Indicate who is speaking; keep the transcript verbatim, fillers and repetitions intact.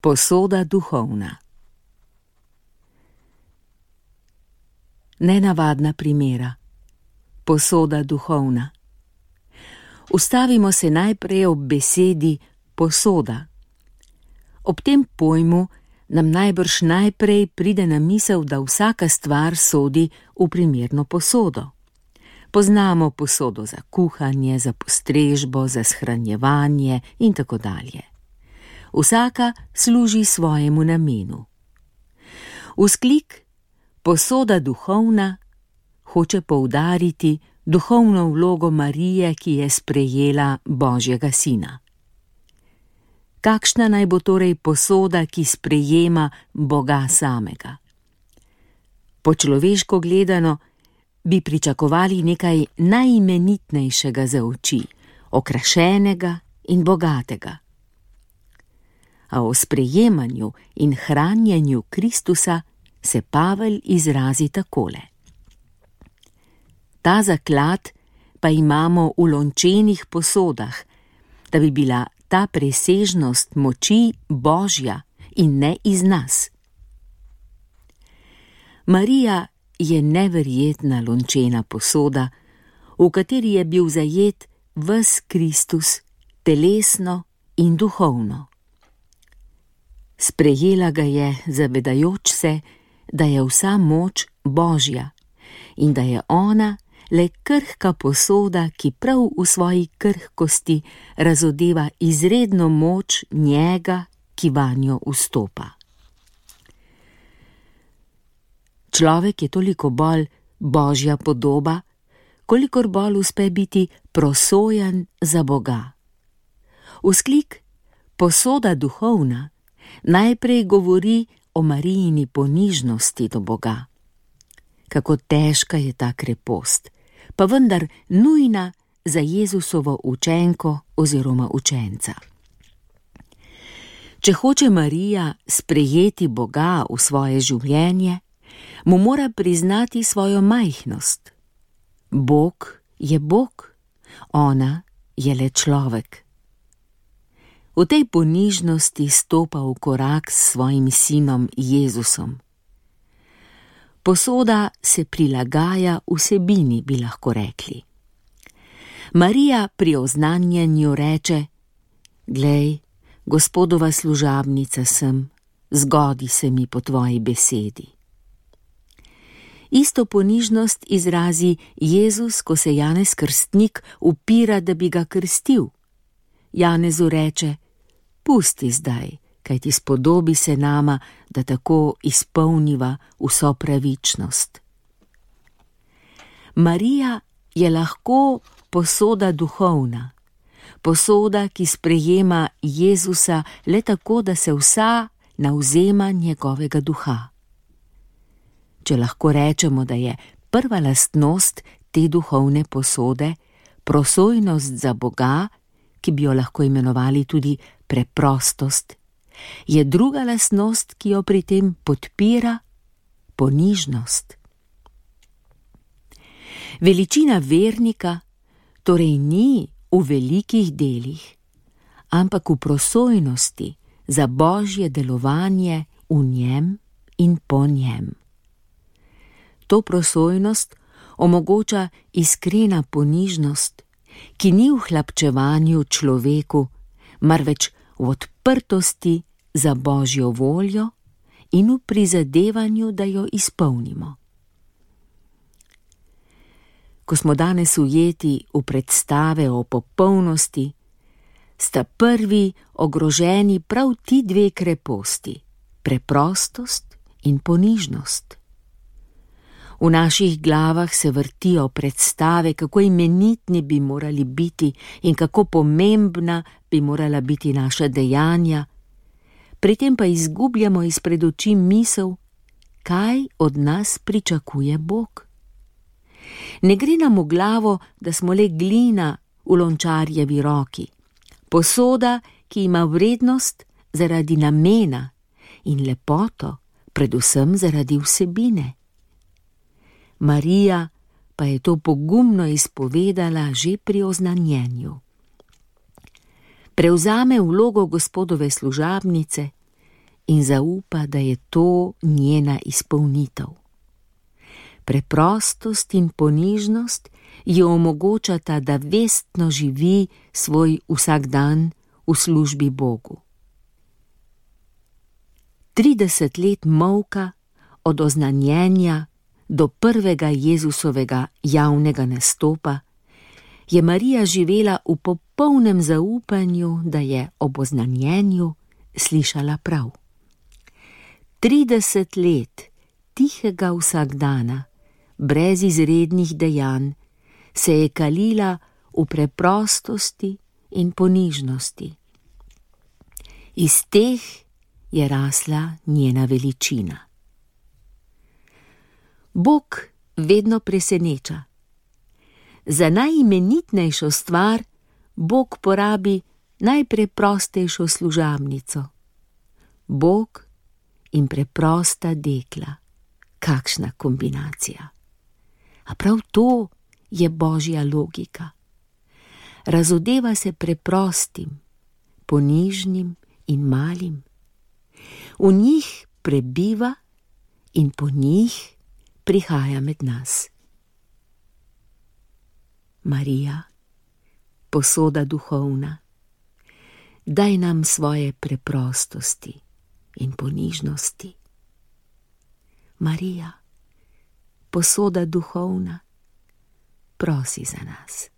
Speaker 1: Posoda duhovna. Nenavadna primera. Posoda duhovna. Ustavimo se najprej ob besedi posoda. Ob tem pojmu nam najbrž najprej pride na misel, da vsaka stvar sodi v primerno posodo. Poznamo posodo za kuhanje, za postrežbo, za shranjevanje in tako dalje. Vsaka služi svojemu namenu. Vzklik posoda duhovna hoče poudariti duhovno vlogo Marije, ki je sprejela Božjega sina. Kakšna naj bo torej posoda, ki sprejema Boga samega? Po človeško gledano bi pričakovali nekaj najimenitnejšega za oči, okrašenega in bogatega. A o sprejemanju in hranjenju Kristusa se Pavel izrazi takole. Ta zaklad pa imamo v lončenih posodah, da bi bila ta presežnost moči Božja in ne iz nas. Marija je neverjetna lončena posoda, v kateri je bil zajet ves Kristus, telesno in duhovno. Sprejela ga je, zavedajoč se, da je vsa moč Božja in da je ona le krhka posoda, ki prav v svoji krhkosti razodeva izredno moč njega, ki vanjo vstopa. Človek je toliko bolj Božja podoba, kolikor bolj uspe biti prosojan za Boga. Vzklik posoda duhovna najprej govori o Marijini ponižnosti do Boga. Kako težka je ta krepost, pa vendar nujna za Jezusovo učenko oziroma učenca. Če hoče Marija sprejeti Boga v svoje življenje, mu mora priznati svojo majhnost. Bog je Bog, ona je le človek. V tej ponižnosti stopa v korak s svojim sinom Jezusom. Posoda se prilagaja vsebini, bi lahko rekli. Marija pri oznanjanju reče: Glej, Gospodova služabnica sem, zgodi se mi po tvoji besedi. Isto ponižnost izrazi Jezus, ko se Janez Krstnik upira, da bi ga krstil. Janezu reče: Pusti zdaj, kajti spodobi se nama, da tako izpolniva vso pravičnost. Marija je lahko posoda duhovna, posoda, ki sprejema Jezusa le tako, da se vsa navzema njegovega duha. Če lahko rečemo, da je prva lastnost te duhovne posode prosojnost za Boga, ki bi jo lahko imenovali tudi preprostost, je druga lastnost, ki jo pri tem podpira, ponižnost. Veličina vernika torej ni v velikih delih, ampak v prosojnosti za Božje delovanje v njem in po njem. To prosojnost omogoča iskrena ponižnost, ki ni v hlapčevanju človeku, marveč v odprtosti za Božjo voljo in v prizadevanju, da jo izpolnimo. Ko smo danes ujeti v predstave o popolnosti, sta prvi ogroženi prav ti dve kreposti, preprostost in ponižnost. V naših glavah se vrtijo predstave, kako imenitni bi morali biti in kako pomembna bi morala biti naša dejanja, pri tem pa izgubljamo izpred oči misel, kaj od nas pričakuje Bog. Ne gre nam v glavo, da smo le glina v lončarjevi roki, posoda, ki ima vrednost zaradi namena in lepoto, predvsem zaradi vsebine. Marija pa je to pogumno izpovedala že pri oznanjenju. Prevzame vlogo Gospodove služabnice in zaupa, da je to njena izpolnitev. Preprostost in ponižnost ji omogočata, da vestno živi svoj vsakdan v službi Bogu. Trideset let molka od oznanjenja do prvega Jezusovega javnega nastopa je Marija živela v popolnem zaupanju, da je ob oznanjenju slišala prav. Trideset let tihega vsakdana, brez izrednih dejanj, se je kalila v preprostosti in ponižnosti. Iz teh je rasla njena veličina. Bog vedno preseneča. Za najimenitnejšo stvar Bog porabi najpreprostejšo služabnico. Bog in preprosta dekla. Kakšna kombinacija. A prav to je božja logika. Razodeva se preprostim, ponižnim in malim. V njih prebiva in po njih prihaja med nas. Marija, posoda duhovna, daj nam svoje preprostosti in ponižnosti. Marija, posoda duhovna, prosi za nas.